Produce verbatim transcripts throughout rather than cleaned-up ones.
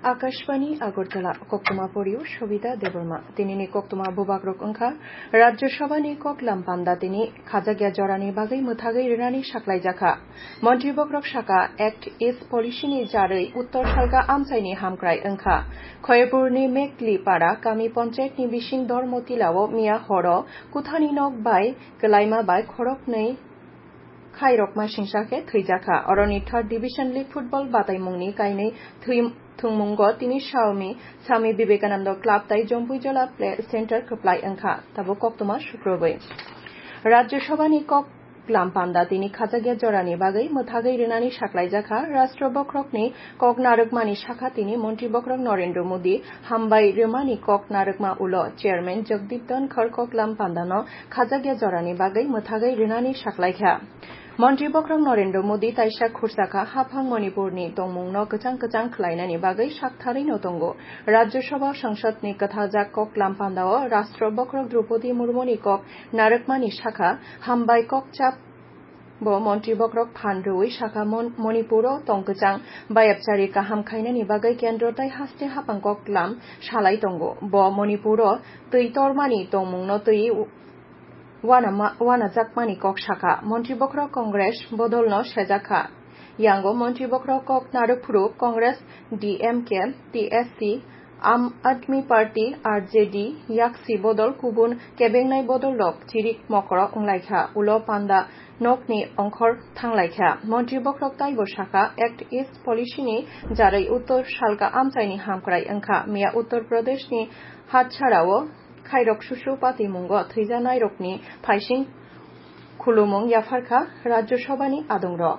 Akashbani Agartala, koktwma porio Shobita Debbarma. Tinini koktwma bubagrok wngkha, Rajya Sabhani koklam panda tini khajakya jorani bagwi mwthagwi rwnani saklaijakha. Montri bokrok saka, Act East Policy ni jarwi Uttor Salka amchaini hamkrai wngkha. Khoyerpurni Mekli Para kami panchayat ni bising Dormo Tilao miya horo kuthani nok bai kwlaima bai khoroknwi khairokma singsa khe thwijakha. Oroni Third Division League Football bataimungni kainwi thwi-, thwngmungo tini Swami, Swami Vivekananda Club tai Jompuijola Play Center kwplai wngkha. Tabuk koktwma sukrubwi. Rajya Sabhani kok lam panda tini khajakya jorani bagwi mwthagwi rwnani saklaijakha. Rashtra bokrokni kok narwkmani sakha tini Montri bokrok Narendra Modi hambai rwmani kok narwkma ulo Chairman Jagdeep Dhankhar koklam pandano khajakya jorani bagwi mwthagwi rwnani saklaikha. Montri bokrok Narendra Modi taisa khursakha haphang Manipurni tongmungno kwchang kwchang khlainani bagwi saktharwino tongo. Rajya Sabha Sangsad ni kwthaljak koklam pandao Rashtra bokrok Droupadi Murmuni kok narwkmani sakha, hambai kokchap bo montri bokrok phan rwui sakha, Mon-, Manipuro tongkwchang bayapchari kaham khainani bagwi kendro tai haste haphang koklam salai tongo. Bo Manipuro twi tormani tongmungno twi wanama-, wanajakmani kok sakha. Montri bokhorok Congress bodolno sejakha. Yango montri bokhorok kok narwk phuru Congress, D M K, T S C, Aam Aadmi Party, R J D, yaksi bodol kubun kebengnai bodolrok chirik mokoro wnglaikha. Ulo panda nokni ongkhor thanglaikha. Montri bokhorok taibo sakha, Act East Policy ni jarwi Uttor Salka amchaini hamkrai wngkha. Miya Uttor Pradeshni Hatsarao khairok susu patimungo thwijanairokni phaising khulumung yapharkha Rajya Sabhani adongrok.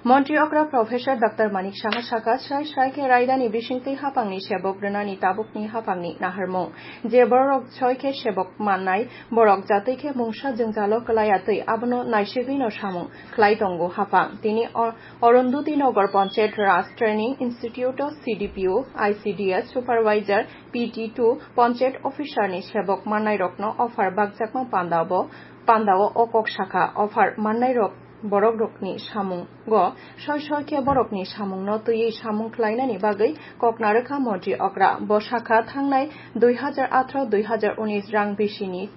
Montri okra Professor Doctor Manik Saha sakha, srai srai khe raidani bisingtwi haphangni sebok rwnani tabukni haphangni naharmung. Je borok soi khe sebok mannai, borok jatwi khe mungsa jwngjalo kwlaiya twi abono naisigwino samung khlai tongo haphang. Tini o-, Arundhati Nagar Panchayat Raj Training Institute o C D P O, I C D S Supervisor, P T two Panchayat Officer ni sebok mannairokno offer bakjakma pandao, pandao o kok sakha. Offer mannairok borokrokni samungo soi soi khe borokni samungno twiwi samung khlainani bagwi kok narwkha montri okra. Bo sakha, thangnai dui hajar atharo dui hajar unis rang bisini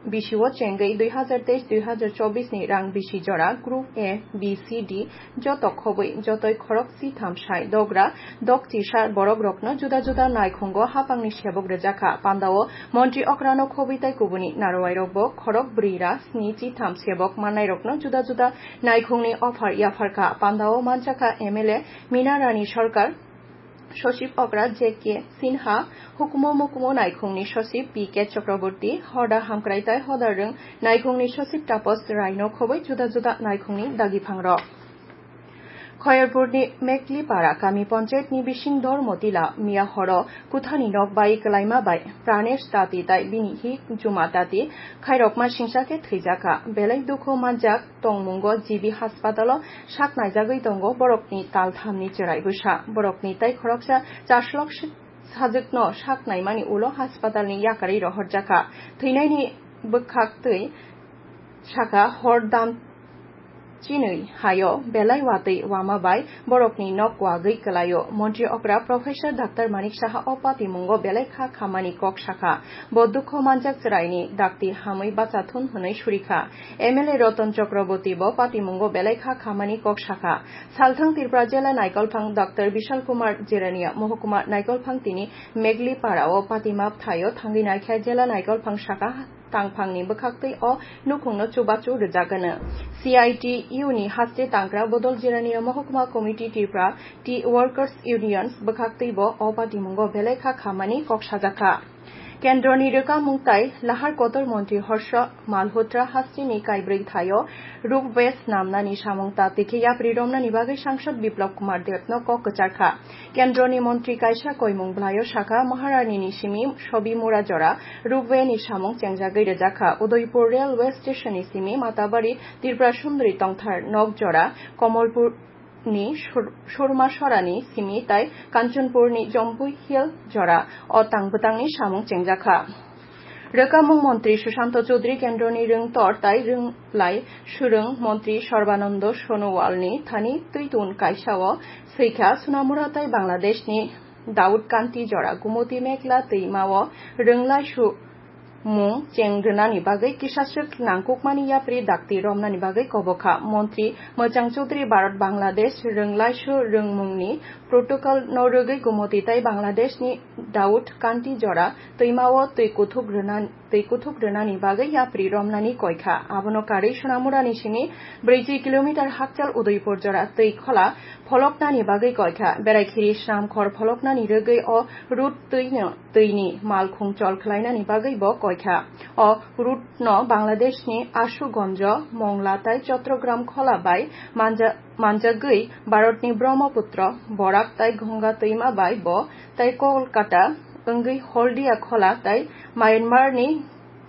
bisio chengwi dui hajar teis dui hajar chobis ni rang bisi jora Group A, B, C, D joto khobwi jotoi khorok chitham sai dogra dok chisa borokrokno juda juda naikhungo haphangni sebok rwjakha. Pandao montri okrano khobwi tai kubuni narwairokbo khorok brwi ra sni chitham sebok mannairokno juda juda naikhungni offer yapharkha. Pandao manjakha M L A Meena Rani Sarkar, Sosip okra J K Sinha, hukumo mukumo naikhungni sosip P K Chakraborty, hoda hamkrai tai hoda rwng naikhungni sosip Tapas Raino khobwi juda juda naikhungni dagiphangrok. Khoyerpurni Meklipara kami panchayatni bising Dormotila miya horo kuthani nok bai kwlaima bai Pranesh Tati tai bini hi Juma Tati khairokma singsa khe thwijakha. Belai dukhu manjak tongmungo G B haspatalo sak naijagwi tongo borokni talthamni chwrai bwsa. Borokni tai khoroksa chaslok sajwkno sak naimani ulo haspatalni yakarwi rohorjakha. Thwinaini bwkhaktwi sakha hor dan chinwi hayo belai watwi wama bai borokni nok wagwi kwlaio. Montri okra Professor Doctor Manik Saha o patimungo belai kha khamani kok sakha. Bo dukhu manjak chwraini dakti hamwi bacha thun hwnwi surikha. M L A Ratan Chakraborty bo patimungo belai kha khamani kok sakha. Salthang Tripura Jela Naikolphang Doctor Bishal Kumar Jirania Mohokuma Naikolphang tini Meglipara o patima bwthaio thangwi naikha. Jela Naikolphang sakha, tangphangni bwkhaktwi o nukhungno chubachu rwjak hwno. C I T U ni haste tangkra bodol Jirania Mohokuma Committee Tripura Tea Workers Unions bwkhaktwi bo o patimungo belai kha khamani kok sajakha. Kendroni rwkamung tai lahar kotor montri Harsha Malhotra hasteni kaibrwi thaio rupway snamnani samung ta tikhe yapri romnani bagwi sangsad Biplab Kumar Debno kok kwcharkha. Kendroni montri kaisa koimung bwlaio sakha, Maharani ni simi Sobimura jora rupway ni samung chengjagwi rwjakha. Udaipur railway station ni simi Matabari Tripura Sundari tongthar nok jora Komolpur ni Sur-, Surma Sorani simi tai Kanchanpurni Jompui Hill jora o tang bwtangni samung chengjakha. Rwkamung montri Sushanta Chaudhary, kendroni rwngtor tai rwnglai swrwng montri Sarbananda Sonowalni thani twitun kaisao swikha Sonamura tai Bangladeshni Daud Kanti jora Gumoti Meghla twimao rwnglai su mung cheng rwnani bagwi kisaswk nangkukmani yapri dakti romnani bagwi kobokha. Montri Mwchang Chaudhary Bharat Bangladesh rwnglaisu rwngmungni protocol no rwgwi Gumoti tai Bangladeshni Daud Kanti jora twimao twi kuthuk rwna-, twi kuthuk rwnani bagwi yapri romnani koikha. Abono karwi Sonamurani simi brwichi kilometer hakchal Udaipur jora twi khola pholoknani bagwi koikha. Beraikhiri Snamkhor pholoknani rwgwi o route twino twini malkhung chol khlainani bagwi bo koikha. O route no Bangladeshni Ashugonjo, Mongla tai Chattogram khola bai manja-, manjagwi Bharatni Brahmaputra, Borak tai Ganga twima bai bo tai Kolkata wngwi Holdia khola tai Myanmarni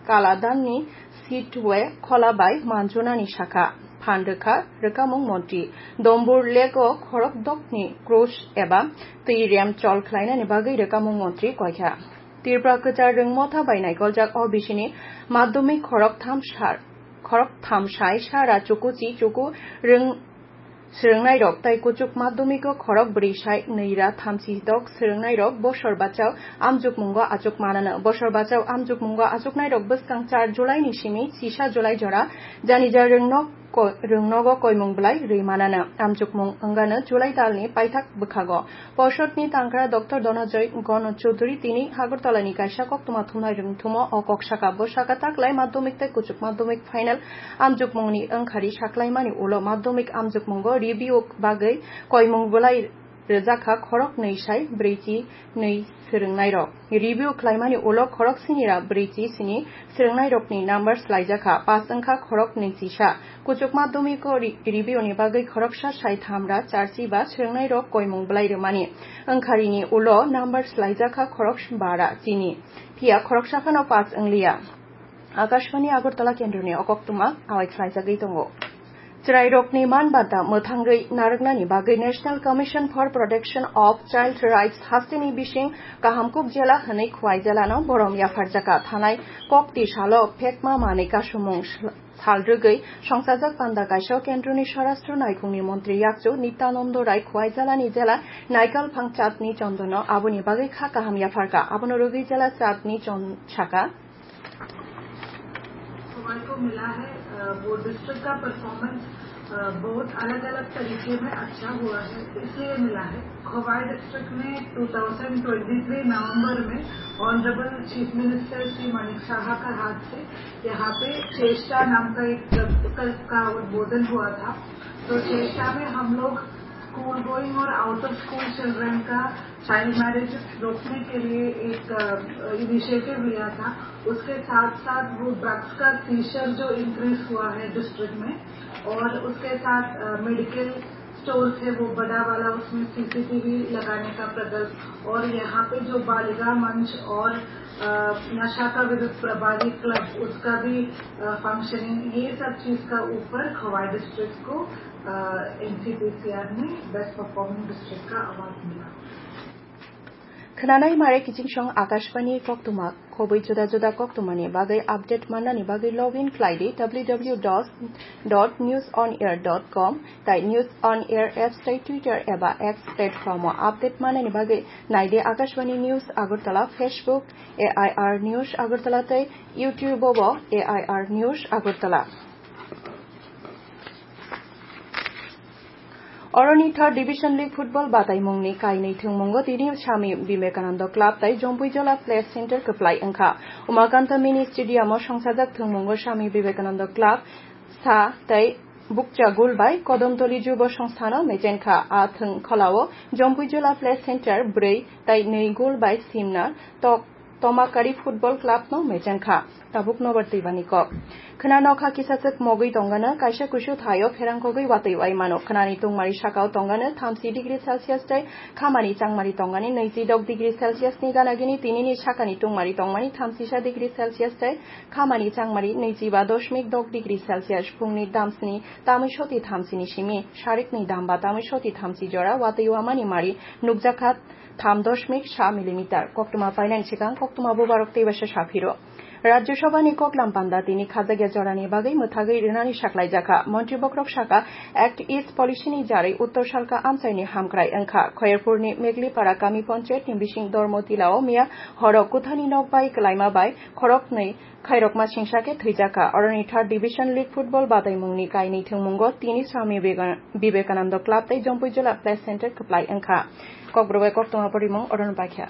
Kaladanni Sittwe khola bai manjunani sakha. Phan rwkha rwkamung montri. Dombur Lake o khorok dokni cruise eba twi rem chol khlainani bagwi rwkamung montri koikha. Tripura kwchar rwngmotha bai naikoljak o bisini madhyamik khorok tham sar, khorok tham sai sara chuku chi chuku rwng swrwngnairok tai kuchuk madhyamiko khorok bwrwi sai nwi ra thamchi dok swrwngnairok bosor bachao amjukmungo achuk manano. Bosor bachao amjukmungo achuknairok bwskang char July ni simi chisa July jora janija rwngno ko-, rwngnogo koimung bwlai rwi manano. Amjukmung wngano July talni paithak bwkhago. Porsodni tangkra Doctor Dhananjay Gana Chaudhary tini Agartala ni kaisa koktwma thumnai rwngthumo o kok saka. Bo saka taklai madhyamik tei kuchuk madhyamik final amjukmungni wngkhari saklaimani ulo madhyamik amjukmungo review bagwi koimung bwlai rwjakha khorok nwi sai brwichi nwi swrwngnairok. Review khlaimani ulo khorok sinira brwichi sini swrwngnairokni number slaijakha, pass wngkha khorok nwi chisa. Kuchuk madhyamiko ri-, review ni bagwi khoroksa sai thamra charchi ba swrwngnairok koimung bwlai rwmani wngkharini ulo number slaijakha khorok bara chini. Phiya khoroksa phano pass wngliya. Akashvani Agartala kendroni o koktwma awai khlaijagwi tongo. Chwrairokni man banta mwthangwi narwknani bagwi National Commission for Protection of Child Rights hasteni bising Kahamkuk jela hwnwi Khwai jelano borom yapharjakha. Thanai kokti salo phekma manwi kasumung sal rwgwi songchajak panda kaisa kendroni Swarashtra naikhungni montri yakchu Nityananda Rai Khwai jelani jela Naikalphang chatni chondono aboni bagwi kha kaham yapharkha. Abono rwgwi jela chatni chon saka. हमारे को मिला है, अ, वो डिस्ट्रिक्ट का परफॉर्मेंस, अ, बहुत अलग-अलग तरीके में अच्छा हुआ है, इसलिए मिला है। खवाई डिस्ट्रिक्ट में ट्वेंटी ट्वेंटी थ्री नवंबर में ऑनरेबल चीफ मिनिस्टर श्री मानिक साहा का हाथ से यहाँ पे चेष्टा नाम का एक प्रकल्प का उद्बोधन हुआ था। तो चेष्टा में हम लोग स्कूल गोइंग और आउट ऑफ स्कूल चिल्ड्रन का चाइल्ड मैरिज रोकने के लिए एक, अ, इनिशिएटिव लिया था। उसके साथ साथ वो ड्रग्स का सीजर जो इंक्रीज हुआ है डिस्ट्रिक्ट में, और उसके साथ, अ, मेडिकल स्टोर है वो बड़ा वाला, उसमें सीसीटीवी लगाने का प्रकल्प, और यहाँ पे जो बालिका मंच और, अ, नशा का विरुद्ध प्रभारी क्लब, उसका भी, अ, फंक्शनिंग, ये सब चीज का ऊपर खवाई डिस्ट्रिक्ट को, अ, एनसीपीसीआर में बेस्ट परफॉर्मिंग डिस्ट्रिक्ट का अवार्ड मिला। Khwnanai mare kiching song Akashvani koktwma, khobwi juda juda koktwmani bagwi update mannani bagwi log in khlai di W W W dot news on air dot com tai News on Air apps tai Twitter eba X platform o update mannani bagwi nai di Akashvani News Agartala, Facebook, A I R News Agartala tai YouTube o bo A I R News Agartala. Oroni Third Division League Football bataimungni kainwi thwngmungo tini Swami Vivekananda Club tai Jompuijola Play Center kwplai wngkha. Umakanta Mini Stadium o songchajak thwngmungo Swami Vivekananda Club sa tai bukcha goal bai Kodomtoli Jubo Songstha no mechenkha. A thwng kholao Jompuijola Play Center bwrwi tai nwi goal bai simna tok Tomakari Football Club no mechenkha. Tabuk nobar twibani kok. Khwna nokha kisachwk mogwi tongano, kaisa kusu thaio pherangkogwi watwi wai mano. Khwnani tungmari sakao tongano thamsi degree Celsius tai khamani changmari tongani nwichi dok degree Celsius ni ganagini, tinini sakani tungmari tongmani thamsisa degree Celsius tai khamani changmari nwichiba dosmik dok degree Celsius. Phungni damsni tamwi soti thamsini simi, sarikni damba tamwi soti thamsi jora watwi wamani mari nukjakha tham dosmik sa millimeter. Koktwma painani swkang koktwma bubarok teibaisa saphiro. Rajya Sabha ni koklam panda tini khajakya jorani bagwi mwthagwi rwnani saklaijakha. Montri bokrok sakha, Act East policy ni jarwi Uttor Salka amchaini hamkrai wngkha. Khoyerpurni Meglipara kami panchayat ni bising Dormo Tilao miya horo kuthani nok bai kwlaima bai khoroknwi khairokma singsa khe thwijakha. Oroni third division league football bataimungni kainwi thwngmungo tini Swami Viveka-, Vivekananda Club tei Jompuijula Play Center kwplai wngkha. Kokborok bai koktwma porimung oroni paikha.